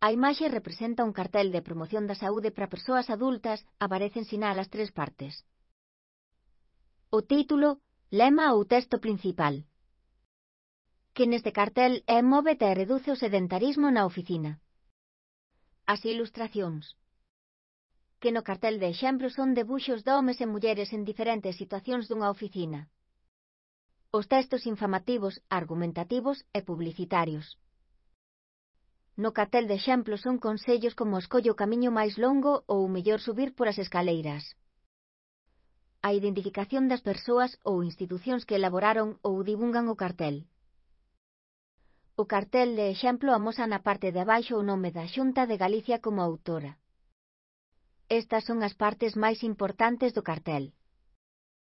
A imaxe representa un cartel de promoción da saúde para persoas adultas, aparecen sinal as tres partes. O título, lema ou texto principal. Que neste cartel é móvete e reduce o sedentarismo na oficina. As ilustracións. Que no cartel de exemplo son debuxos de homes e mulleres en diferentes situacións dunha oficina. Os textos informativos, argumentativos e publicitarios. No cartel de exemplo son consellos como escolle o camiño máis longo ou mellor subir por as escaleiras. A identificación das persoas ou institucións que elaboraron ou divulgan o cartel. O cartel de exemplo amosa na parte de abaixo o nome da Xunta de Galicia como autora. Estas son as partes máis importantes do cartel.